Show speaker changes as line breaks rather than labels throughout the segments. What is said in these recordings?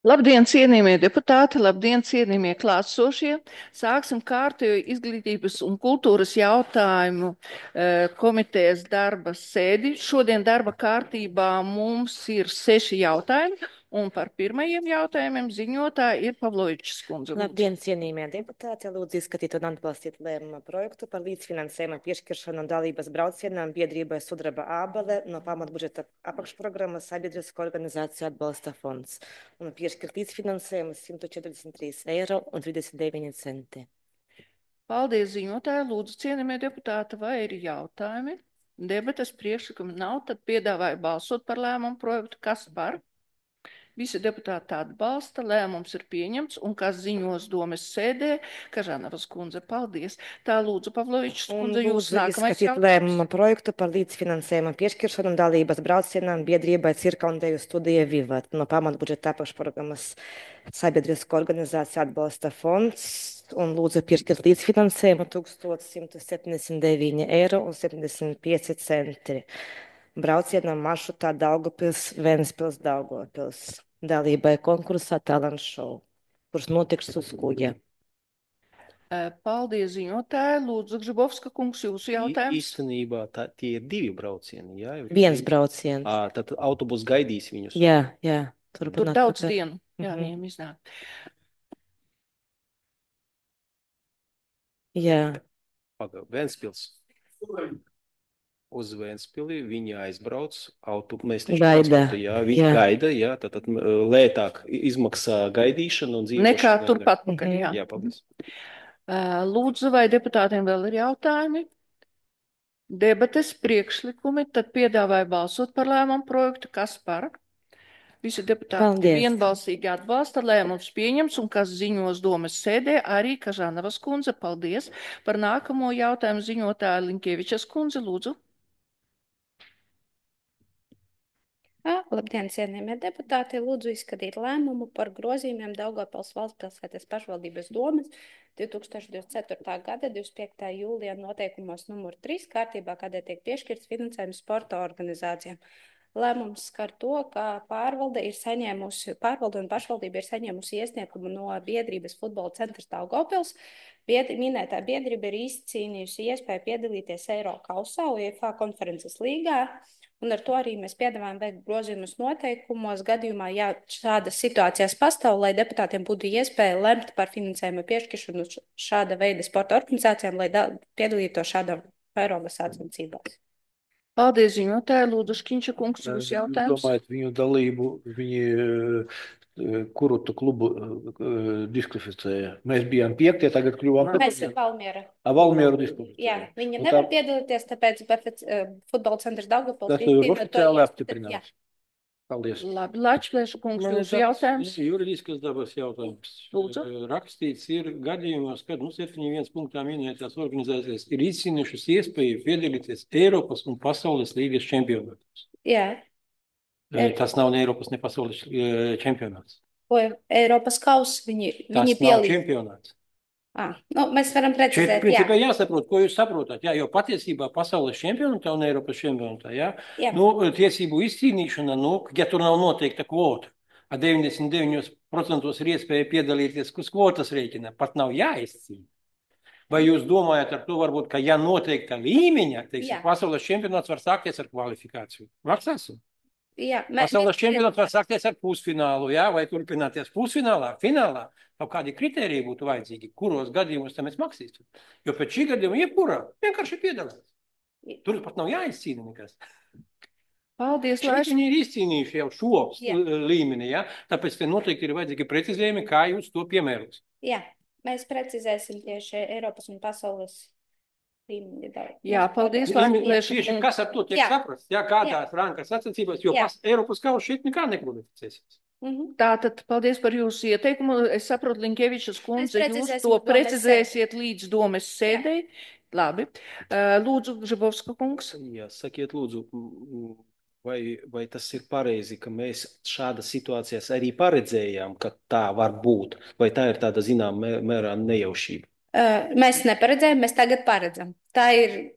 Labdien, cienījamie deputāti, labdien, cienījamie klātsošie. Sāksim kārtējo izglītības un kultūras jautājumu komitejas darba sēdi. Šodien darba kārtībā mums ir 6 jautājumi, un par pirmajiem jautājumiem ziņotāja ir Pavlovičs kundze.
Labdien, cienījamie deputāti! Lūdzu izskatīt un atbalstīt lēmuma projektu par līdzfinansējuma piešķiršanu dalības braucienām biedrībai Sudraba ābele no pamatbudžeta apakšprogrammas Sabiedrisko organizāciju atbalsta fonds un piešķirt līdzfinansējumu 143,39 eiro.
Paldies, ziņotāji. Lūdzu, cienījamie deputāti, vai ir jautājumi? Debates priekšlikumi nav, tad piedāvāju balsot par lēmumu projektu. Kas par? Visi deputāti atbalsta, lēmums ir pieņemts, un kas ziņos domes sēdē, Kažanavas kundze, paldies. Tā lūdzu, Pavlovičs kundze, jūs nākamais
jautājums. Lēmuma projektu par līdzfinansējuma piešķiršanu dalības braucienām biedrībai Cirka un Deju studija Vivat no pamatbudžeta apakšprogrammas Sabiedrisko organizāciju atbalsta fonds un lūdzu piešķirt līdzfinansējumu 1179,75 eiro. Braucienam maršrutā Daugavpils, Ventspils, Daugavpils dalībai konkursā Talent Show, kurš notiks uz kuģa.
Paldies, ziņotāji. Lūdzu, Gžibovska kungs, jūsu jautājums.
Īstenībā tie ir 2 braucieni, jā?
Viens brauciens.
Tad autobus gaidīs viņus.
Jā.
Tur daudz dienu. Jā, viņiem iznāk.
Jā.
Ventspils. Uz Ventspili viņi aizbrauc, mēs viņi gaida, jā, tad lētāk izmaksā gaidīšana un dzīvošana.
Nekā turpat pakaļ, jā.
Jā, paldies.
Lūdzu, vai deputātiem vēl ir jautājumi? Debates priekšlikumi, tad piedāvāju balsot par lēmumu projektu. Kas par? Visi deputāti vienbalsīgi atbalsta, lēmums pieņems, un kas ziņos domes sēdē, arī Kažanavas kundze. Paldies. Par nākamo jautājumu ziņotāja Linkievičas kundze, lūdzu.
Labdien, cienījamie deputāti! Lūdzu izskatīt lēmumu par grozījumiem Daugavpils valsts pilsētas pašvaldības domes 2024. gada 25. jūlijā noteikumos numur 3 kārtībā, kādēļ tiek piešķirts finansējums sporta organizācijām. Lēmums skar to, ka pārvalde un pašvaldība ir saņēmusi iesniegumu no biedrības Futbola centrs Daugavpils. Minētā biedrība ir izcīnījusi iespēju piedalīties Eirokausā, UEFA konferences līgā. Un ar to arī mēs piedāvājam veikt grozījumus noteikumos gadījumā, ja šādas situācijas pastāv, lai deputātiem būtu iespēja lemt par finansējumu piešķiršanu šāda veida sporta organizācijām, lai piedalītos šādā Eiropas sacensībās.
Paldies, ziņotāji. Lūdzu, Škiņša kungs, jūs jautājums.
Domājat, viņu dalību, kuru tu klubu diskvalificēja? Mēs bijām 5, tagad kļuvām.
Mēs esam Valmiera.
Valmieru diskvalificēja.
Jā, viņa nevar piedalīties, tāpēc Futbola centrs Daugavpils.
Tas ir oficiāli apstiprināts. Paldies.
Labi, Lačplēša kungs, jūsu jautājums.
Juridiskas dabas jautājums.
Lūdzu.
Rakstīts ir gadījumos, kad 71 punktā minētās organizācijas ir izcīnījušas iespēju piedalīties Eiropas un pasaules līgas čempionātos.
Jā.
Tas nav ne Eiropas, ne pasaules čempionāts.
Eiropas kauss viņi
Tas nav čempionāts.
Mēs varam precizēt,
principā jāsaprot, ko jūs saprotat, jā, jo patiesībā pasaules čempionātā un Eiropas čempionātā, jā. Tiesību izcīnīšana, ja tur nav noteikta kvota, 99% ir iespēja piedalīties, kas kvotas rēķina, pat nav jāizcīna. Vai jūs domājat ar to varbūt, ka ja noteikta līmeņa, teiksim, pasaules čempionāts var sākties ar kvalifikāciju? Vaksāsim? Pasaules čempionāts var sākties ar pusfinālu, jā, vai turpināties pusfinālā, finālā. Kaut kādi kriteriji būtu vajadzīgi, kuros gadījumos tam mēs maksīsim. Jo pēc šī gadījuma jebkurā vienkārši piedalās. Tur pat nav jāizcīna nekas.
Paldies,
Latvijas. Viņi ir izcīnījuši jau šo līmeni, jā. Tāpēc te noteikti ir vajadzīgi precizējumi, kā jūs to piemēros.
Jā, mēs precizēsim tieši Eiropas un pasaules līmeni.
Jā, paldies, Latvijas.
Kas ar to tiek saprasts? Jā, kādās rankas sacensībās, jo Eiropas kausa šeit nekā nekvalificēsies.
Tātad, paldies par jūsu ieteikumu. Es saprotu, Linkievičas kundze, jūs to precizēsiet līdz domes sēdei. Labi. Lūdzu, Gžibovska kungs.
Jā, sakiet, lūdzu, vai tas ir pareizi, ka mēs šādas situācijas arī paredzējām, ka tā var būt? Vai tā ir tāda, zinām, mērā nejaušība?
Mēs neparedzējām, mēs tagad paredzam. Tā ir...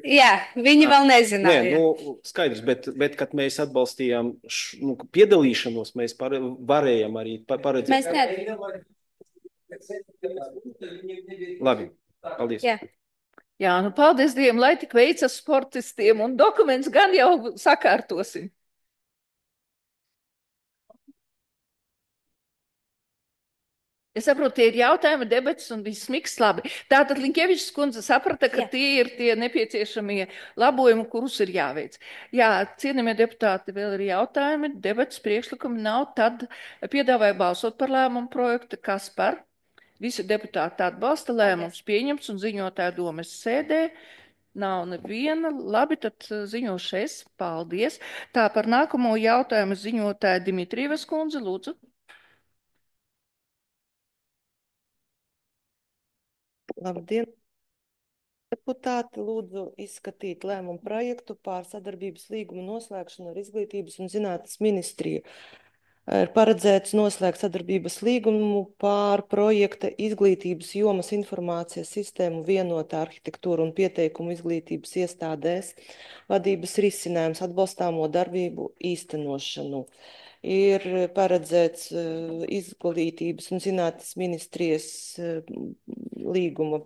Jā, viņi vēl nezināja.
Nē, skaidrs, bet kad mēs atbalstījām piedalīšanos, mēs varējām arī paredzēt.
Mēs
Labi, paldies.
Jā.
Jā, paldies Dievam, lai tik veicas sportistiem, un dokuments gan jau sakārtosim. Es saprotu, tie ir jautājumi, debats un viss miks labi. Tātad Linkevičs kundze saprata, ka tie ir tie nepieciešamie labojumi, kurus ir jāveic. Jā, cienījamie deputāti, vēl ir jautājumi, debats priekšlikumi nav, tad piedāvāju balsot par lēmumu projektu, kas par. Visi deputāti atbalsta, lēmums pieņemts un ziņotāja domas sēdē. Nav neviena. Labi, tad ziņošu es. Paldies. Tā par nākamo jautājumu ziņotāja Dimitrievas kundze, lūdzu.
Labdien! Deputāti lūdzu izskatīt lēmumu projektu pār sadarbības līgumu noslēgšanu ar Izglītības un zinātnes ministriju. Ir paredzēts noslēgt sadarbības līgumu pār projekta izglītības jomas informācijas sistēmu vienotā arhitektūra un pieteikumu izglītības iestādēs vadības risinājums atbalstāmo darbību īstenošanu. Ir paredzēts Izglītības un zinātnes ministrijas līguma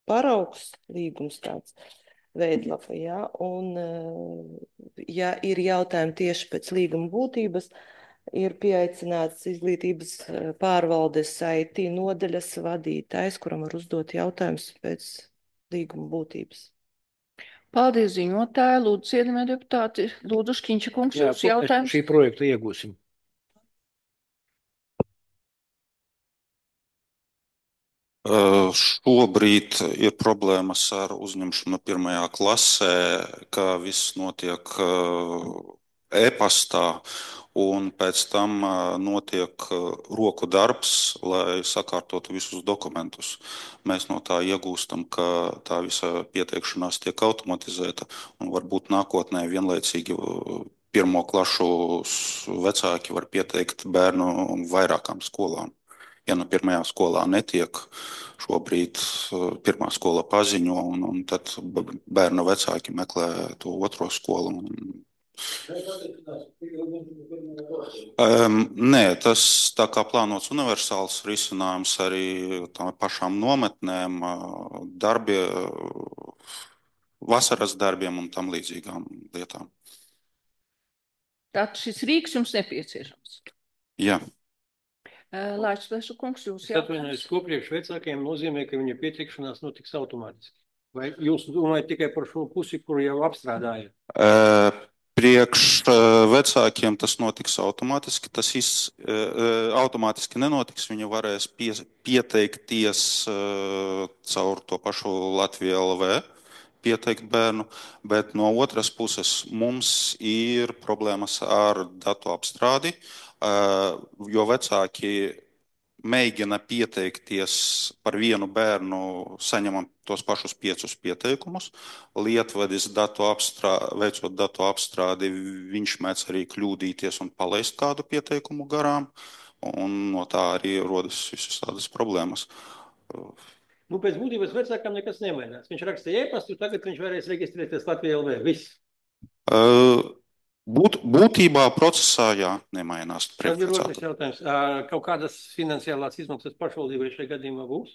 paraugs, līgums tāds veidlapa, jā, un ja ir jautājumi tieši pēc līguma būtības, ir pieaicināts Izglītības pārvaldes IT nodaļas vadītājs, kuram var uzdot jautājumus pēc līguma būtības.
Paldies, ziņotāji. Lūdzu, cienījamie deputāti, lūdzu, Škiņša kungs, jūs jautājums.
Šī projekta iegūsim.
Šobrīd ir problēmas ar uzņemšanu pirmajā klasē, ka viss notiek e-pastā, un pēc tam notiek roku darbs, lai sakārtotu visus dokumentus. Mēs no tā iegūstam, ka tā visa pieteikšanās tiek automatizēta, un varbūt nākotnē vienlaicīgi pirmo klašu vecāki var pieteikt bērnu vairākām skolām. Ja nu pirmajā skolā netiek, šobrīd pirmā skola paziņo, un tad bērnu vecāki meklē to otro skolu. Nē, tas tā kā plānots universāls risinājums arī tam pašām nometnēm, vasaras darbiem un tam līdzīgām lietām.
Tātad šis rīks jums nepieciešams?
Jā.
Lāčplēšu kungs, jūs
jautājums. Atvainojos, ko priekš vecākiem nozīmē, ka viņa pieteikšanās notiks automātiski? Vai jūs domājat tikai par šo pusi, kuru jau apstrādājat?
Priekš vecākiem tas notiks automātiski. Tas automātiski nenotiks. Viņi varēs pieteikties caur to pašu Latviju LV, pieteikt bērnu, bet no otras puses mums ir problēmas ar datu apstrādi, jo vecāki mēģina pieteikties par vienu bērnu, saņemam tos pašus 5 pieteikumus. Lietvedis veicot datu apstrādi, viņš mēdz arī kļūdīties un palaist kādu pieteikumu garām, un no tā arī rodas visas tādas problēmas.
Pēc būtības vecākam nekas nemainās. Viņš rakstīja e-pastu, tagad viņš varēs reģistrēties Latvijā LV. Viss.
Būtībā procesā, jā, nemainās.
Tad ir otrs jautājums. Kaut kādas finansiālās izmaksas pašvaldībai šajā gadījumā būs?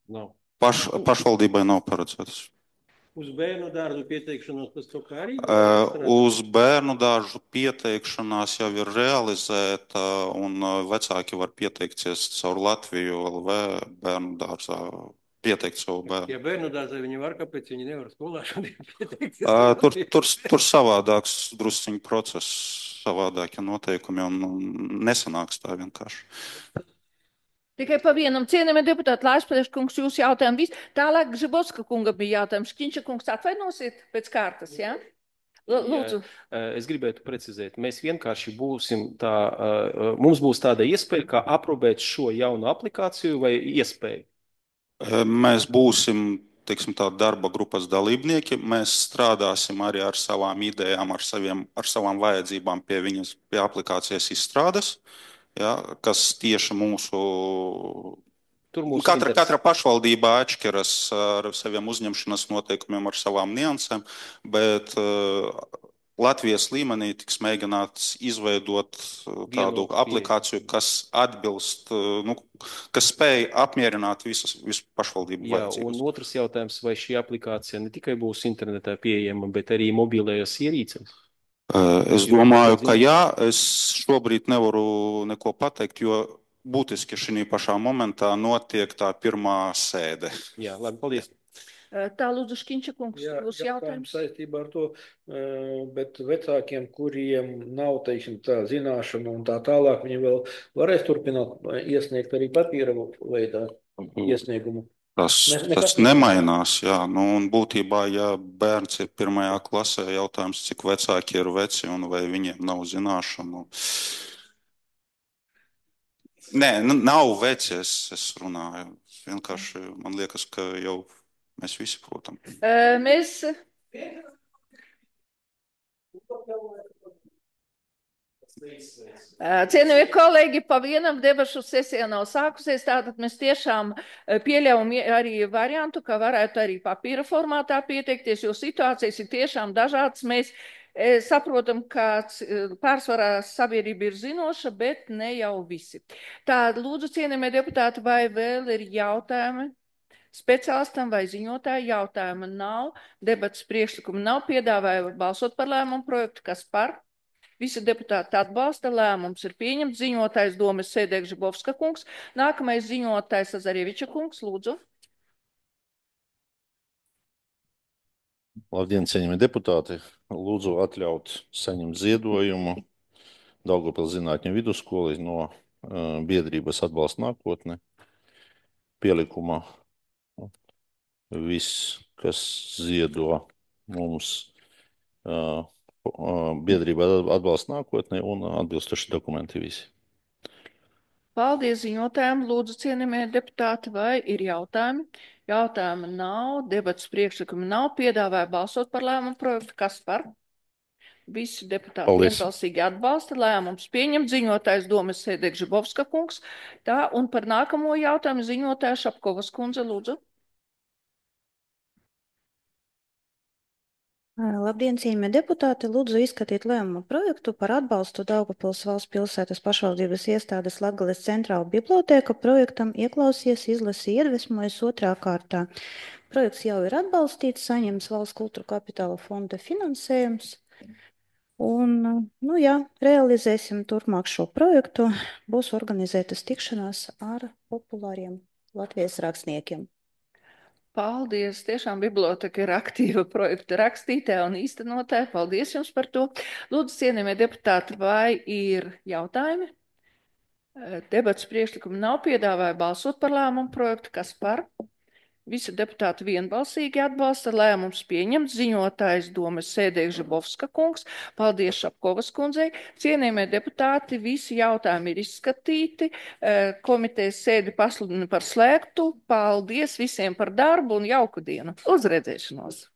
Nav. Pašvaldībai nav paredzētas.
Uz bērnu dārzu pieteikšanos pēc to kā arī?
Uz bērnu dārzu pieteikšanās jau ir realizēta, un vecāki var pieteikties caur Latviju LV bērnu dārzā. Pieteikt savu bērnu.
Ja bērnu dārzā viņi var, kāpēc viņi nevar skolā šodien pieteikties?
Tur savādāks drusciņu process, savādākie noteikumi, un nesanāks tā vienkārši.
Tikai pa vienam, cienījamie deputāti, Lāčplēšu kungs, jūs jautājumu viss. Tālāk Žibovska kunga bija jautājums. Škiņša kungs, atvainosiet pēc kārtas, jā? Lūdzu.
Es gribētu precizēt, mēs vienkārši būsim mums būs tāda iespēja, kā aprobēt šo jaunu aplikāciju vai iespēju.
Mēs būsim, teiksim, tā darba grupas dalībnieki. Mēs strādāsim arī ar savām idejām, ar savām vajadzībām pie aplikācijas izstrādes, ja, kas tieši mūsu Katra pašvaldība atšķiras ar saviem uzņemšanas noteikumiem, ar savām niansēm, bet Latvijas līmenī tiks mēģināts izveidot tādu aplikāciju, kas atbilst, kas spēj apmierināt visu pašvaldību vajadzības.
Un otrs jautājums, vai šī aplikācija ne tikai būs internetā pieejama, bet arī mobilajās ierīcēs?
Es domāju, ka jā, es šobrīd nevaru neko pateikt, jo būtiski šī pašā momentā notiek tā pirmā sēde.
Jā, labi, paldies.
Tā, lūdzu, Škiņša kungs, būs jautājums.
Saistībā ar to, bet vecākiem, kuriem nav, teiksim, tā zināšana un tā tālāk, viņi vēl varēs turpināt iesniegt arī papīra veidā iesniegumu.
Tas nemainās, jā. Un būtībā, ja bērns ir 1. klasē, jautājums, cik vecāki ir veci un vai viņiem nav zināšanu. Nē, nav veci, es runāju. Vienkārši man liekas, ka jau mēs visi, protams.
Cienījamie kolēģi, pa vienam debašu sesija nav sākusies, tātad mēs tiešām pieļaujam arī variantu, ka varētu arī papīra formātā pieteikties, jo situācijas ir tiešām dažādas. Mēs saprotam, ka pārsvarā sabiedrība ir zinoša, bet ne jau visi. Tā, lūdzu, cienījamie deputāti, vai vēl ir jautājumi? Speciālistam vai ziņotāju jautājuma nav, debatas priekšlikuma nav, piedāvāja balsot par lēmumu projektu, kas par. Visi deputāti atbalsta, lēmums ir pieņemts, ziņotājs Domas Sēdēk Žibovska kungs, nākamais ziņotājs Azarieviča kungs, lūdzu.
Labdien, cienījamie deputāti, lūdzu atļaut saņemt ziedojumu Daugavpils zinātņu vidusskolai no biedrības Atbalsta nākotne pielikumā. Viss, kas ziedo mums biedrība Atbalsta nākotnē un atbilstoši dokumenti visi.
Paldies ziņotājiem. Lūdzu, cienījamie deputāti, vai ir jautājumi? Jautājumi nav, debatas priekšlikumi nav, piedāvāja balsot par lēmumu projektu. Kas par? Visi deputāti vienbalsīgi atbalsta, lēmums pieņemt, ziņotājs Domas Sēdēk Žibovska kungs. Tā, un par nākamo jautājumu ziņotāja Šapkovas kundze, lūdzu.
Labdien, cienījamie deputāti! Lūdzu izskatīt lēmumu projektu par atbalstu Daugavpils valsts pilsētas pašvaldības iestādes Latgales centrāla bibliotēka projektam Ieklausies, izlasi, iedvesmojas 2. kārtā. Projekts jau ir atbalstīts, saņems valsts kultūra kapitāla fonda finansējums. Un, realizēsim turpmāk šo projektu. Būs organizētas tikšanās ar populāriem Latvijas rakstniekiem.
Paldies! Tiešām biblioteka ir aktīva projekta rakstītāja un īstenotāja. Paldies jums par to. Lūdzu, cienījamie deputāti, vai ir jautājumi? Debats priekšlikumi nav, piedāvāja balsot par lēmumu projektu. Kas par? Visi deputāti vienbalsīgi atbalsta, lēmums pieņemts, ziņotājs Domas Sēdēk Žibovska kungs. Paldies Šapkovas kundzei. Cienījamie deputāti, visi jautājumi ir izskatīti. Komitejas sēdi pasludina par slēgtu. Paldies visiem par darbu un jauku dienu. Uz redzēšanos!